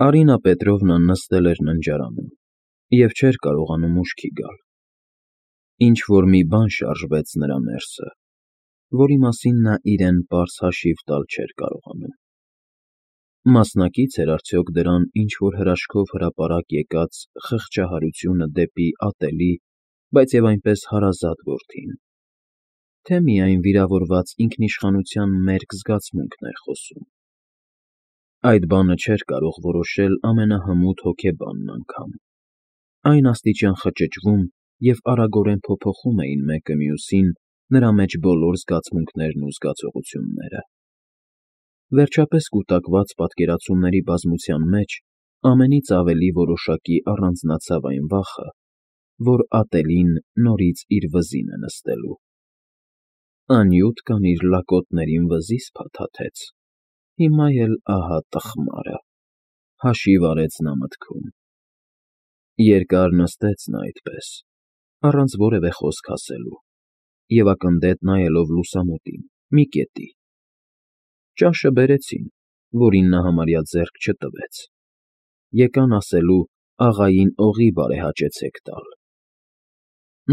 Արինա Պետրովնան նստել էր ննջարանում և չէր կարողանում ուշքի գալ։ Ինչ-որ մի բան շարժվեց նրա ներսը, որի մասին նա իրեն պարզ հաշիվ տալ չէր կարողանում։ Մասնակից էր արդյոք դրան ինչ-որ հրաշքով հրապարակ եկած խղճահարությունը դեպի ատելի, բայց և այնպես հարազատ որդին, թե միայն վիրավորված ինքնիշխանության մերկ զգացմունքն էր խոսում։ Այդ բանը չէր կարող որոշել ամենահմուտ հոգեբանն անգամ։ Այն աստիճան խճճվում և արագորեն փոփոխում էին մեկը մյուսին նրա մեջ բոլոր զգացմունքներն ու զգացողությունները։ Վերջապես կուտակված պատկերացումների բազմության մեջ ամենից ավելի որոշակի առանձնացավ այն վախը, որ ատելին նորից իր վզին է նստելու։ Անյութ կան իր լակոտներին վզիս փաթաթեց, հիմա էլ ահա տխմարը, հաշիվ արեց նա մտքում։ Երկար նստեց նա այդպես, առանց որևէ խոսք ասելու և ակնթեթ նայելով լուսամուտին, մի կետի։ Ճաշը բերեցին, որին նա համարյա ձեռք չտվեց, եկան ասելու աղային օղի բարեհաճեցեք տալ։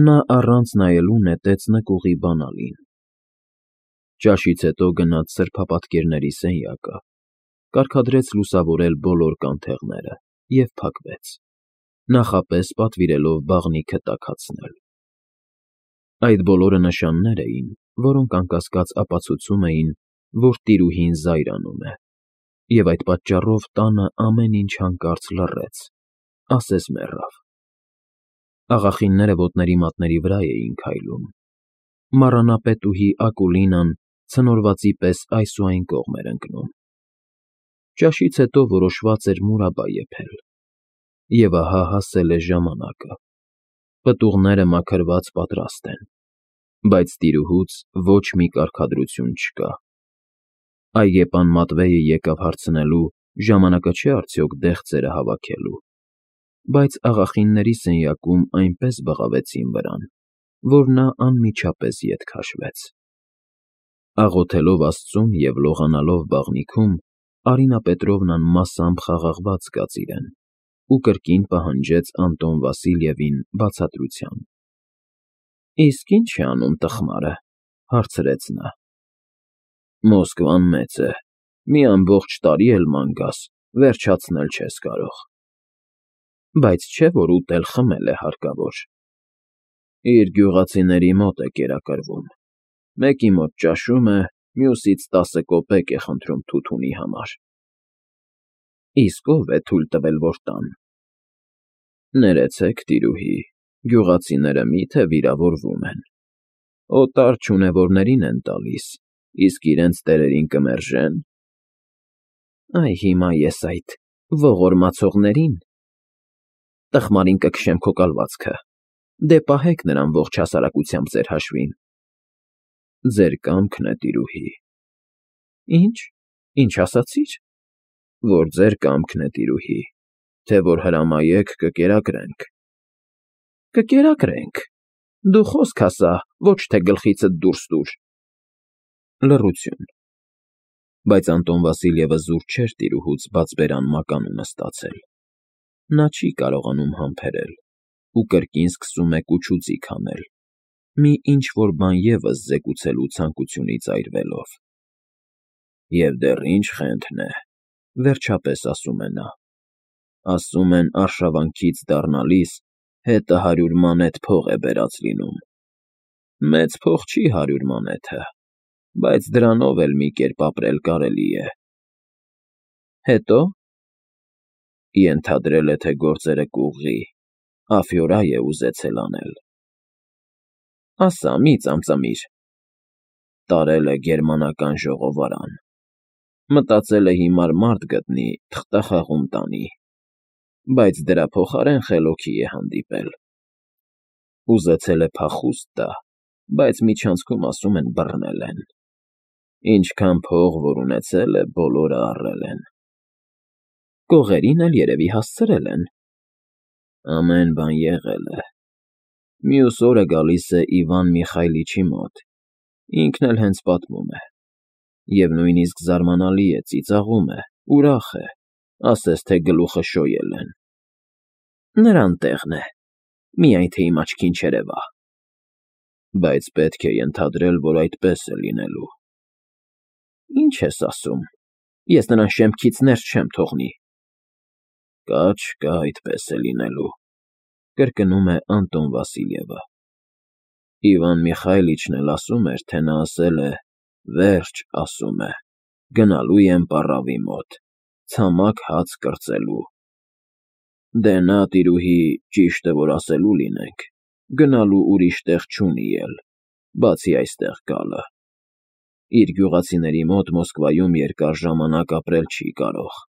Նա առանց նայելու նետեց նկուղի բանալին։ Ճաշից հետո գնաց սրբապատկերների սենյակը, կարգադրեց լուսավորել բոլոր կանթեղները և փակվեց, նախապես պատվիրելով բաղնիքը տաքացնել։ Այդ բոլորը նշաններ էին, որոնք անկասկած ապացուցում էին, որ տիրուհին զայրանում է, և այդ պատճառով տանը ամեն ինչ հանկարծ լռեց, ասես մեռավ։ Աղախինները ոտների մատների վրա էին քայլում։ Մառանապետուհի Ակուլինան ցնորվածի պես այս ու այն կողմ էր ընկնում։ Ճաշից հետո որոշված էր մուրաբա եփել։ Եվ ահա հասել է ժամանակը։ Պտուղները մաքրված պատրաստ են, բայց տիրուհուց ոչ մի կարգադրություն չկա։ Այգեպան Մատվեյը եկավ հարցնելու, ժամանակը չէ արդյոք դեղձերը հավաքելու, բայց աղախինների սենյակում այնպես բղավեցին վրան, որ նա անմիջապես ետ քաշվեց։ Աղոթելով աստծուն և լողանալով բաղնիքում, Արինա Պետրովնան մասամբ խաղաղված զգաց իրեն ու կրկին պահանջեց Անտոն Վասիլյևին բացատրության։ ֊ Իսկ ի՞նչ է անում տխմարը, ֊ հարցրեց նա։ ֊ Մոսկվան մեծ է, մի ամբողջ տարի էլ ման գաս, վերջացնել չես կարող։ ֊ Բայց չէ՞ որ ուտել֊խմել է հարկավոր։ ֊ Իր գյուղացիների մոտ է կերակրվում, մեկի մոտ ճաշում է, մյուսից 10 կոպեկ է խնդրում թութունի համար։ ֊ Իսկ ո՞վ է թույլ տվել, որ տան։ ֊ Ներեցեք, տիրուհի, գյուղացիները մի՞թե վիրավորվում են։ Օտար չունևորներին են տալիս, իսկ իրենց տերերին կմերժեն։ ֊ Այ հիմա ես այդ ողորմածողներին… Տխմարին կքշեմ քո կալվածքը, դե պահեք նրան ողջ հասարակությամբ ձեր հաշվին։ ֊ Ձեր կամքն է, տիրուհի։ ֊ Ինչ ասացիր։ ֊ Որ ձեր կամքն է, տիրուհի, թե որ հրամայեք, կկերակրենք։ ֊ Կկերակրենք… Դու խոսք ասա, ոչ թե գլխիցդ դուրս տուր… Լռություն։ Բայց Անտոն Վասիլյևը զուր չէր տիրուհուց բաց֊բերան մականունը ստացել։ Նա չի կարողանում համբերել ու կրկին սկսում է կուչուձիգ անել, մի ինչ֊որ բան ևս զեկուցելու ցանկությունից այրվելով։ «Եվ դեռ ինչ խենթն է, վերջապես ասում է նա, ասում են արշավանքից դառնալիս հետը 100 մանեթ փող է բերած լինում։ Մեծ փող չի 100 մանեթը, բայց դրանով էլ մի կերպ ապրել կարելի է։ Հետո՞։ Ենթադրել է, թե գործերը կուղղի, աֆյորա է ուզեցել անել։ Ասա, մի ծամծամիր։ Տարել է գերմանական ժողովարան։ Մտածել է հիմար մարդ գտնի, թղթախաղում տանի, բայց դրա փոխարեն խելոքի է հանդիպել։ Ուզեցել է փախուստ տա, բայց միջանցքում ասում են բռնել են։ Ինչքան փող որ ունեցել է, բոլորը առել են։ Կողերին էլ երևի հասցրել են։ Ամեն բան եղել է։ Մյուս օրը գալիս է Իվան Միխայլիչի մոտ, ինքն էլ հենց պատմում է։ Եվ նույնիսկ զարմանալի է, ծիծաղում է, ուրախ է, ասես թե գլուխը շոյել են։ Նրան տեղն է, միայն թե իմ աչքին չերևա։ Բայց պետք է ենթադրել, որ այդպես է լինելու։ Ինչ ես ասում, ես նրան շեմքից ներս չեմ թողնի։ Կա չկա այդպես է լինելու, կրկնում է Անտոն Վասիլյևը։ Իվան Միխայիլիչն էլ ասում էր, թե նա ասել է, վերջ ասում է, գնալու եմ պառավի մոտ, ցամաք հաց կրծելու։ Դե նա, տիրուհի, ճիշտը որ ասելու լինենք, գնալու ուրիշ տեղ չունի էլ, բացի այստեղ գալը։ Իր գյուղացիների մոտ Մոսկվայում երկար ժամանակ ապրել չի կարող։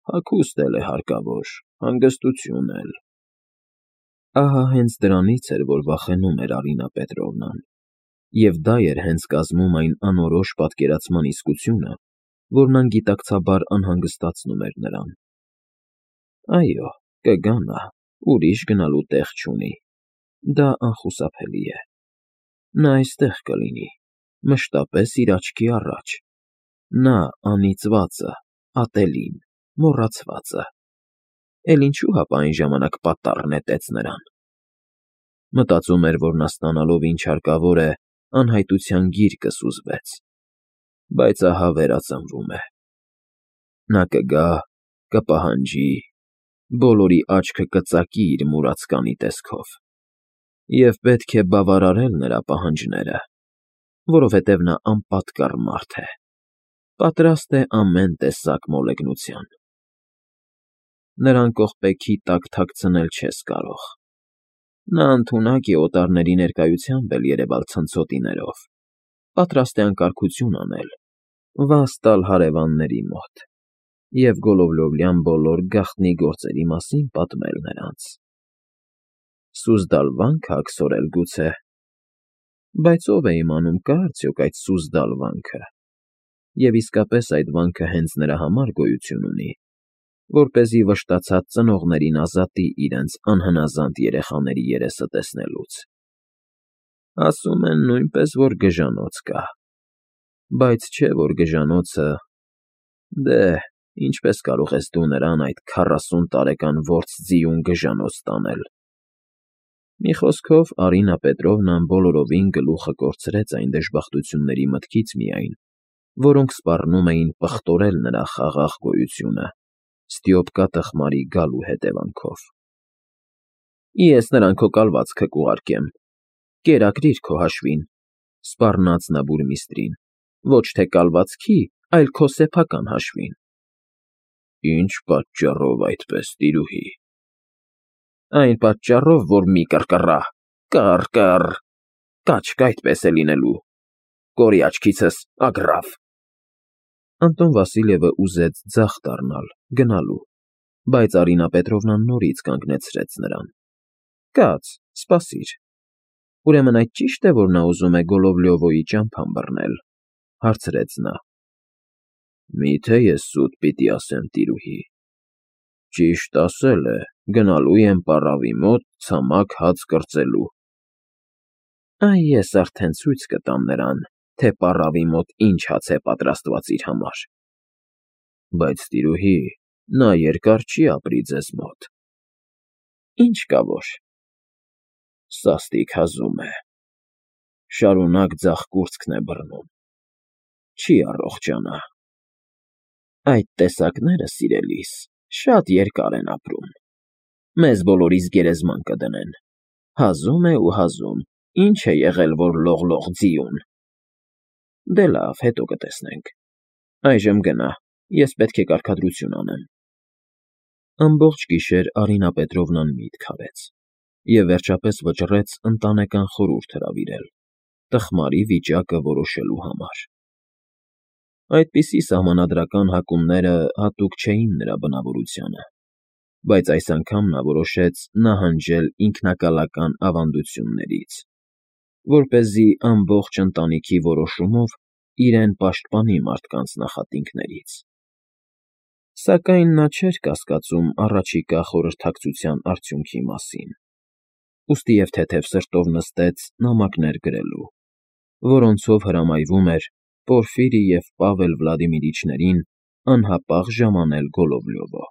Հագուստ էլ է հարկավոր, հանգստություն էլ։ Ահա հենց դրանից էր, որ վախենում էր Արինա Պետրովնան, և դա էր հենց կազմում այն անորոշ պատկերացման իսկությունը, որն անգիտակցաբար անհանգստացնում էր նրան։ Այո, կգա նա, ուրիշ գնալու տեղ չունի, դա անխուսափելի է։ Նա այստեղ կլինի, մշտապես իր աչքի առաջ, նա անիծվածը, ատելին, մոռացվածը, էլ ինչու հապա այն ժամանակ պատառ նետեց նրան։ Մտածում էր, որ նա ստանալով ինչ հարկավոր է, անհայտության գիրկը սուզվեց, բայց ահա վերածնվում է։ Նա կգա, կպահանջի, բոլորի աչքը կծակի իր մուրացկանի տեսքով, և պետք է բավարարել նրա պահանջները, որովհետև նա անպատկառ մարդ է, պատրաստ է ամեն տեսակ մոլեգնության։ Նրան կողպեքի տակ թաքցնել չես կարող։ Նա ընդունակ է օտարների ներկայությամբ էլ երևալ ցնցոտիներով, պատրաստ է անկարգություն անել, վազ տալ հարևանների մոտ և Գոլովլովլյան բոլոր գաղտնի գործերի մասին պատմել նրանց։ Սուզդալ վանք աքսորել գուցե։ Բայց ով է իմանում, կա՞ արդյոք այդ սուզդալ վանքը, և իսկապես այդ վանքը հենց նրա համար գոյություն ունի, որպեսզի վշտացած ծնողներին ազատի իրենց անհնազանդ երեխաների երեսը տեսնելուց։ Ասում են նույնպես, որ գժանոց կա, բայց չէ, որ գժանոցը… Դե, ինչպես կարող ես դու նրան, այդ 40 տարեկան որսձիուն գժանոց տանել։ Մի խոսքով, Արինա Պետրովնան բոլորովին գլուխը կորցրեց այն դժբախտությունների մտքից միայն, որոնք սպառնում էին պղտորել նրա խաղաղ գոյությունը Ստիոպկա տխմարի գալու հետևանքով։ Ես նրան քո կալվածքը կուղարկեմ, կերակրիր քո հաշվին, սպառնաց նա բուրմիստրին, ոչ թե կալվածքի, այլ քո սեփական հաշվին։ Ինչ պատճառով այդպես, տիրուհի։ Այն պատճառով, որ մի կռկռա, կռ, կաչկ այդպես է լինելու, կորի աչքիցս, ագռավ։ Անտոն Վասիլյևը ուզեց ձախ դառնալ, գնալու, բայց Արինա Պետրովնան նորից կանգնեցրեց նրան։ Կաց, սպասիր։ Ուրեմն այդ ճի՞շտ է, որ նա ուզում է Գոլովլյովոյի ճամփան բռնել, հարցրեց նա։ Մի՞թե ես սուտ պիտի ասեմ, տիրուհի։ Ճիշտ ասել է, գնալու եմ պառավի մոտ ցամաք հաց կրծելու։ Այ ես արդեն ցույց կտամ նրան, թե պառավի մոտ ինչ հաց է պատրաստված իր համար։ Բայց, տիրուհի, նա երկար չի ապրի ձեզ մոտ։ Ինչ կա որ։ Սաստիկ հազում է։ Շարունակ ձախ կուրծքն է բռնում։ Չի առողջանա։ Այդ տեսակները, սիրելիս, շատ երկար են ապրում։ Մեզ բոլորիս գերեզման կդնեն։ Հազում է ու հազում, ինչ է եղել, որ լող ձիուն։ Դե լավ, հետո կտեսնենք։ Այժմ գնա, ես պետք է կարգադրություն անեմ։ Ամբողջ գիշեր Արինա Պետրովնան միտք արեց և վերջապես վճռեց ընտանեկան խորհուրդ հրավիրել, տխմարի վիճակը որոշելու համար։ Այդպիսի սահմանադրական հակումները հատուկ չէին նրա բնավորությանը, բայց այս անգամ նա որոշեց նահանջել ինքնակալական ավանդություններից, որպեսզի ամբողջ ընտանիքի որոշումով իրեն պաշտպանի մարդկանց նախատինքներից։ Սակայն նա չէր կասկածում առաջիկա խորհրդակցության արդյունքի մասին, ուստի և թեթև սրտով նստեց նամակներ գրելու, որոնցով հրամայվում էր Պորֆիրի և Պավել Վլադիմիրիչներին անհապաղ ժամանել Գոլլովլյովը։